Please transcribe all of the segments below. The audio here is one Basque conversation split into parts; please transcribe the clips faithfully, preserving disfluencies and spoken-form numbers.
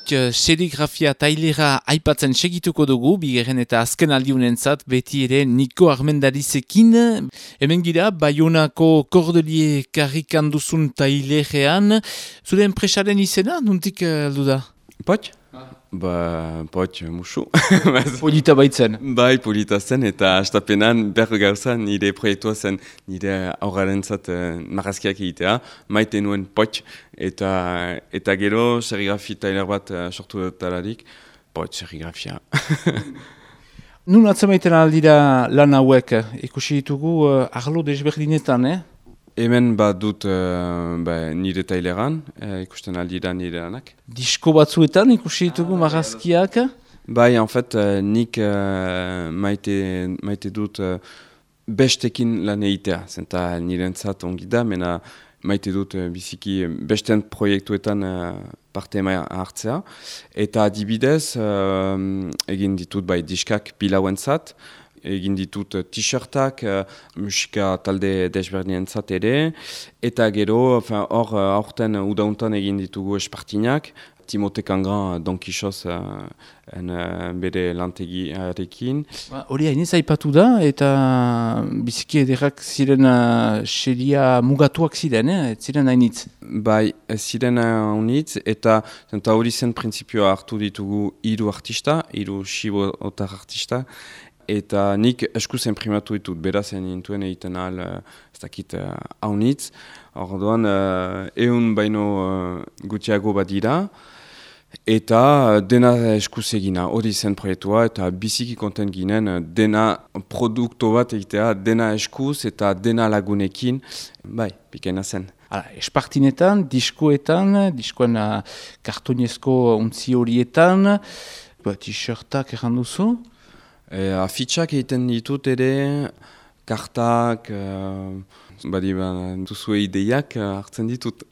Poit serigrafia tailera aipatzen segituko dugu, bigarren eta azken aldiunentzat beti ere Niko Armendarizekin. Hemen gira, Baionako Cordelier karrikan duzun tailerean. Zure enpresaren izena, nuntik aldu da? Poit? Ba, poit, musu. Polita baitzen. Bai, polita zen, eta astapenan berro gauza nire proiektua zen nire aurraren zat uh, marrazkiak egitea, maite nuen poit, eta, eta gero serigrafi tailer bat uh, sortu dutalarik, poit serigrafia. Nun atzemaiten aldira lan hauek, ikusi ditugu uh, arlo desberdinetan, eh? Hemen bat dut uh, ba, nire taileran, uh, ikusten aldira nire lanak. Disko batzuetan ikusi ditugu marrazkiak? Bai, en fait, uh, nik uh, maite, maite dut uh, bestekin lan egitea. Zenta nirentzat ongi da, mena maite dut uh, biziki besten proiektuetan uh, parte ema hartzea. Eta adibidez, uh, egin ditut bai diskak pilauentzat, egin ditut t-shirtak, uh, musika talde desberdientzat ere, eta gero, hor uh, aurten udauntan egin ditugu espartinak, Timote Kangran Don Quixoz uh, en, uh, bere lantegiarekin. Hori hainez aipatu da, eta biziki ederrak ziren uh, xeria mugatuak ziren, eh? Ziren hainitz. Bai, ziren hainitz, eta hori zen printzipioa hartu ditugu hiru artista, hiru xibo otar artista, eta nik eskuz imprimatu ditut, beraz nintuen egiten ahal, ez dakit, haunitz. Orduan, uh, eun baino uh, gutiago bat dira, eta dena eskuz egina, hori zen proiektua, eta biziki konten ginen, dena produkto bat egitea, dena eskuz eta dena lagunekin, bai, pikaina zen. Hala, espartinetan, diskoetan, diskoen uh, kartonezko untzi horietan, t-shirtak erran duzu? E, afitxak egiten ditut ere, kartak, uh, badi ba, duzue ideiak uh, hartzen ditut.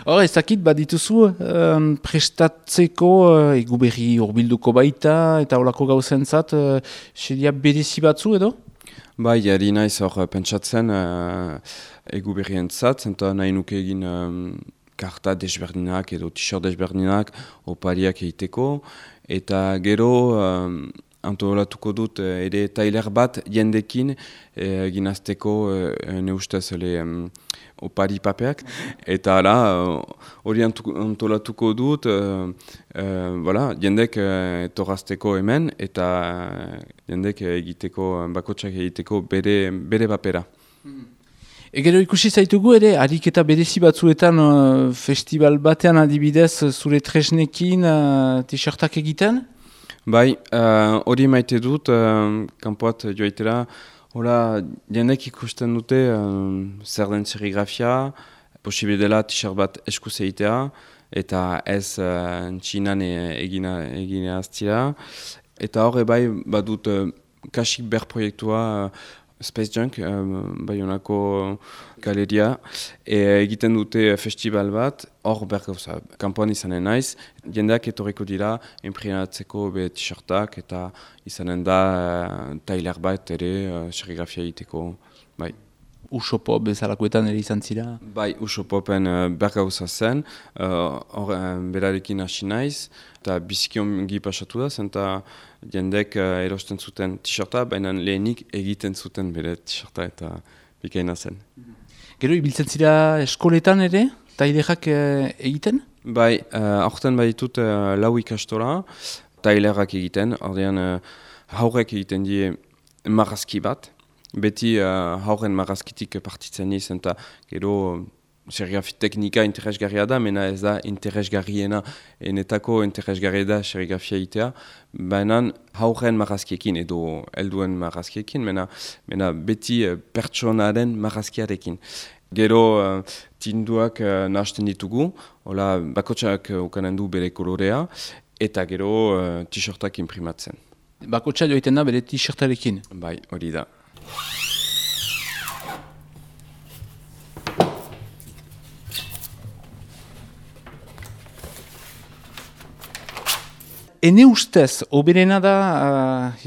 Hor, ez dakit, badituzu um, prestatzeko uh, egu berri urbilduko baita, eta holako gauzentzat, uh, seria berezi batzu edo? Bai, ari naiz hor pentsatzen uh, egu berrientzat, zenta nahi nuke egin um, karta desberdinak edo t-shirt desberdinak, opariak egiteko, eta gero um, antolatuko dut ere tailer bat jendekin egin eh, azteko eh, neustez um, opari papeak. Eta hala, hori uh, antolatuko dut uh, uh, voilà, jendek uh, etorazteko hemen eta uh, jendek egiteko, bakotsak egiteko bere, bere papera. Mm. Egero ikusi zaitugu ere, ariketa berezi batzuetan uh, festival batean adibidez zure tresnekin uh, t-shirtak egiten? Bai, hori uh, maite dut, uh, kanpoat joaitera, hola, jendek ikusten dute uh, zer den serigrafia, posible dela t-shirt bat eskuz egitea, eta ez uh, txinan egina, egina aztira. Eta horre bai, badut uh, kasik ber proiektua, uh, Space Junk, uh, Baionako galeria, e, egiten dute festival bat, hor bergauza, kanpoan izanen naiz, jendeak etorriko dira, imprinatzeko be t-shirtak, eta izanen da uh, tailer bat ere, uh, serigrafia egiteko, bai. Usopop bezalakoetan ere izan zira? Bai, Usopopen uh, bergauza zen, hor uh, uh, berarekin hasi naiz, eta biziki ongi pasatu da, zenta jendek uh, erosten zuten t-shirta, baina lehenik egiten zuten bere t-shirta eta bikaina zen. Gero, ibiltzen zira eskoletan ere, tailerak uh, egiten? Bai, uh, aurten baditut uh, lau ikastola, tailerak egiten, ordean uh, haurek egiten die marrazki bat, beti uh, hauren marrazkitik partitzen izan, eta gero serigrafi teknika interesgarria da, mena ez da interesgarriena, enetako interesgarria da serigrafia egitea, baina hauren marrazkiekin edo helduen marrazkiekin, mena, mena beti uh, pertsonaren marrazkiarekin. Gero uh, tinduak uh, nahasten ditugu, hola bakotsak uh, ukanen du bere kolorea, eta gero uh, t-shirtak imprimatzen. Bakotsa joiten da bere t-shirtarekin? Bai, hori da. ene ustez, oberena da uh,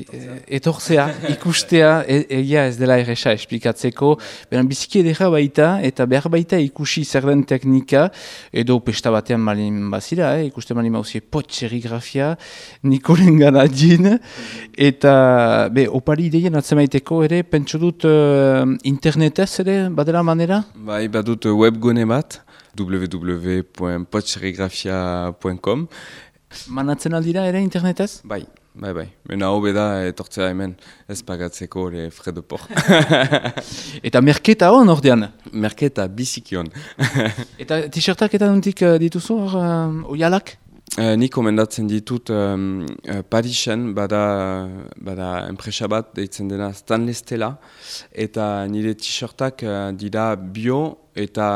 etortzea, ikustea, e- egia ez dela erresa esplikatzeko, beran biziki edera baita, eta behar baita ikusi zer den teknika, edo pesta batean malin bazira, eh? Ikuste malin mauzie pot serigrafia, Nikolen gana din, eta be, opari ideien atzemaiteko ere, pentsu dut uh, internetez ere, badela manera? Bai, badut webgune bat, w w w puntu pot serigrafia puntu com. Manatzen aldira ere internetez? Bai, bai, bai. Mena hobe da etortzea hemen, ez pagatzeko le frais de port. Eta merketa hon ordean? Merketa bizikion. Eta t-shirtak eta nuntik uh, dituzu hor, uh, oialak? Uh, Ni komendatzen ditut um, uh, Parisen bada, bada enpresa bat deitzen dena Stanley Stella, eta nire t-shirtak uh, dira bio eta,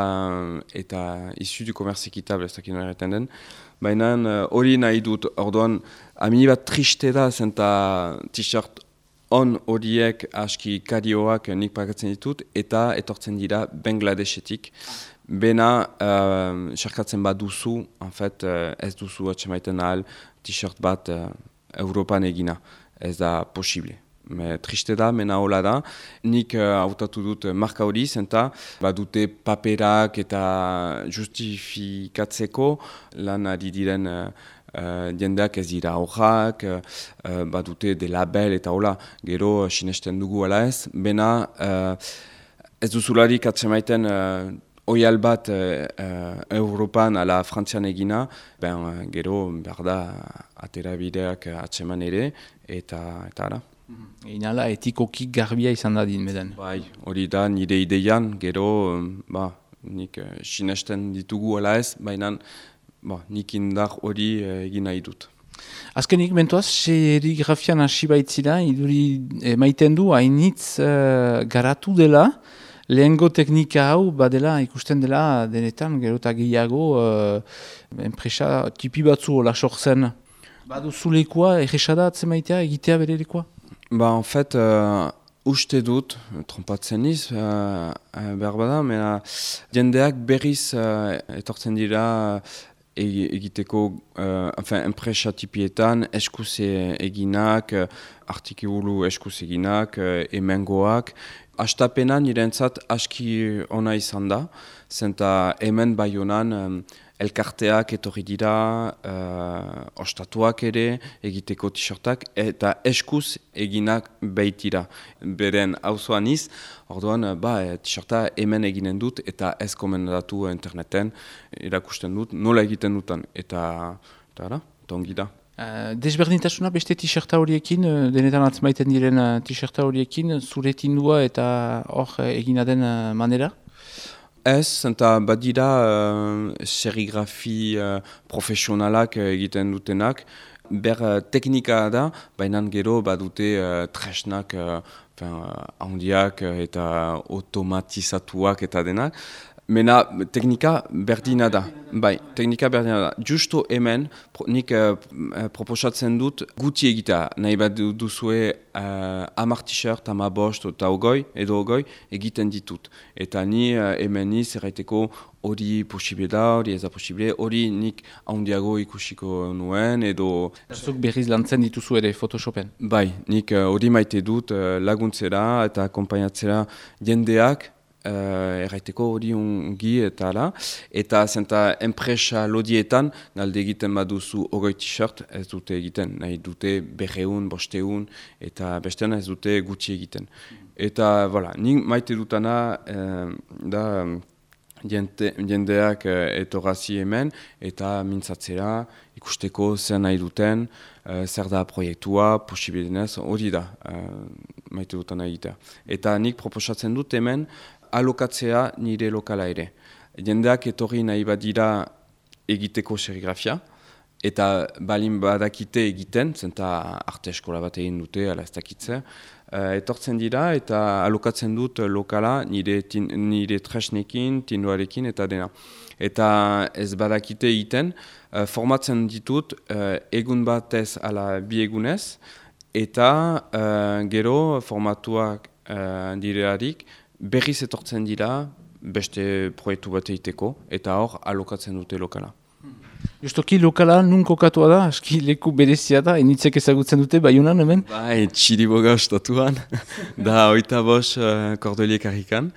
eta isu du commerce équitable, ez dakit nola erraten den. Baina hori uh, nahi dut, orduan, amini bat triste da, zenta t-shirt on horiek aski karioak nik pagatzen ditut, eta etortzen dira Bangladesetik. Bena, uh, xerkatzen bat duzu, en fait, uh, ez duzu atxemaiten ahal t-shirt bat uh, Europan egina. Ez da posible. Me, triste da, mena hola da. Nik uh, hautatu dut marka hori, zenta badute paperak eta justifikatzeko lan ari diren uh, uh, jendeak ez dira horrak, uh, badute de label eta hola, gero uh, sinesten dugu ala ez. Bena, uh, ez duzularik atzemaiten uh, oial bat uh, uh, Europan ala Frantzian egina, ben uh, gero behar da atera bideak atseman ere, eta eta ara. Inala etikoki garbia izan da din beden. Bai, hori da nire ideian, gero, ba, nik uh, sinesten ditugu ala ez, baina ba, nik indar hori uh, egin nahi dut. Azkenik, mentuaz, serigrafian hasi baitzira, iduri emaiten du, hainitz uh, garatu dela, lehengo teknika hau, badela, ikusten dela, denetan, gero eta gehiago, uh, enpresa tipi batzu hola sortzen. Badu zulekoa, erresada atzemaitea, egitea berelekoa? Ba, en fait, uh, uste dut, trompatzen niz, uh, uh, behar bada, mena, jendeak berriz uh, etortzen dira egiteko, uh, enfin, enpresa tipietan, eskuz eginak, uh, artikulu eskuz eginak, uh, emengoak. Astapena nirentzat aski ona izan da, zenta hemen Baionan um, elkarteak etorri dira, uh, ostatuak ere egiteko t-shirtak, eta eskuz eginak baitira. Beren auzoan iz, orduan ba, t-shirta hemen eginen dut, eta ez komendatu interneten, erakusten dut, nola egiten dutan, eta, eta ara, eta ongi da. Uh, desberdintasuna beste t-shirta horiekin, uh, denetan atzmaiten diren uh, t-shirta horiekin, zure tindua eta hor uh, egina den uh, manera? Ez, eta badira uh, serigrafi uh, profesionalak uh, egiten dutenak, ber uh, teknika da, baina gero badute uh, tresnak uh, handiak uh, eta automatizatuak eta denak. Mena teknika berdina da, bai, teknika berdina da. Justo hemen, pro, nik uh, proposatzen dut guti egitea, nahi bat duzue uh, amar t-shirt, ama bost eta ogoi, edo ogoi, egiten ditut. Eta ni uh, hemen niz erraiteko hori posible da, hori ez da posible, hori nik handiago ikusiko nuen, edo... Zuk berriz lantzen dituzu ere Photoshopen? Bai, nik hori uh, maite dut uh, laguntzera eta akompainatzera jendeak, Uh, erraiteko hori ungi eta ala, eta zenta enpresa lodietan galde egiten baduzu ogoi t-shirt ez dute egiten, nahi dute berreun, bosteun, eta bestean ez dute gutxi egiten. Eta, voilà, nik maite dutana uh, da jente, jendeak uh, etorrazi hemen, eta mintzatzera, ikusteko zer nahi duten, uh, zer da proiektua, posibilenez, hori da uh, maite dutana egitea. Eta nik proposatzen dut hemen, alokatzea nire lokala ere. Jendeak etorri nahi badira egiteko serigrafia, eta balin badakite egiten, zenta arte eskola bat egin dute, ala ez dakitze, uh, etortzen dira eta alokatzen dut lokala nire, tin, nire tresnekin, tindoarekin eta dena. Eta ez badakite egiten, uh, formatzen ditut uh, egun batez ala bi egunez, eta uh, gero formatuak uh, direarik, berriz etortzen dira beste proiektu bat egiteko, eta hor alokatzen dute lokala. Justoki lokala nun kokatua da, aski leku berezia da, enitzek ezagutzen dute Baionan hemen? Bai, Txiriboga ostatuan, da oita bos uh, Cordelier karrikan.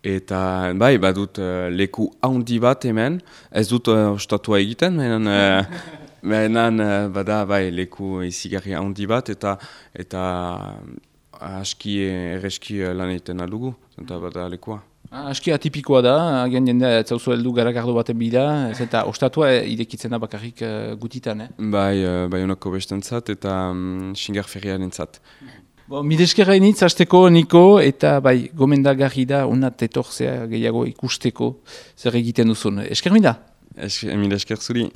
Eta bai, badut uh, leku handi bat hemen, ez dut uh, ostatua egiten, menan, uh, menan uh, bada bai, leku izigarri handi bat, eta eta uh, aski erreski uh, lan egiten aldugu, eta bada lekua. Ah, aski atipikoa da, agian jendea ez zauzu heldu garagardo baten bila, ez eta ostatua irekitzen da bakarrik uh, gutitan, eh? Bai, uh, Baionako bestentzat eta um, Xingar ferriarentzat. Bo, mideskerra initz, hasteko Niko, eta bai, gomendagarri da, unat etorzea gehiago ikusteko zer egiten duzun. Esker mida? Esker, mila esker zuri.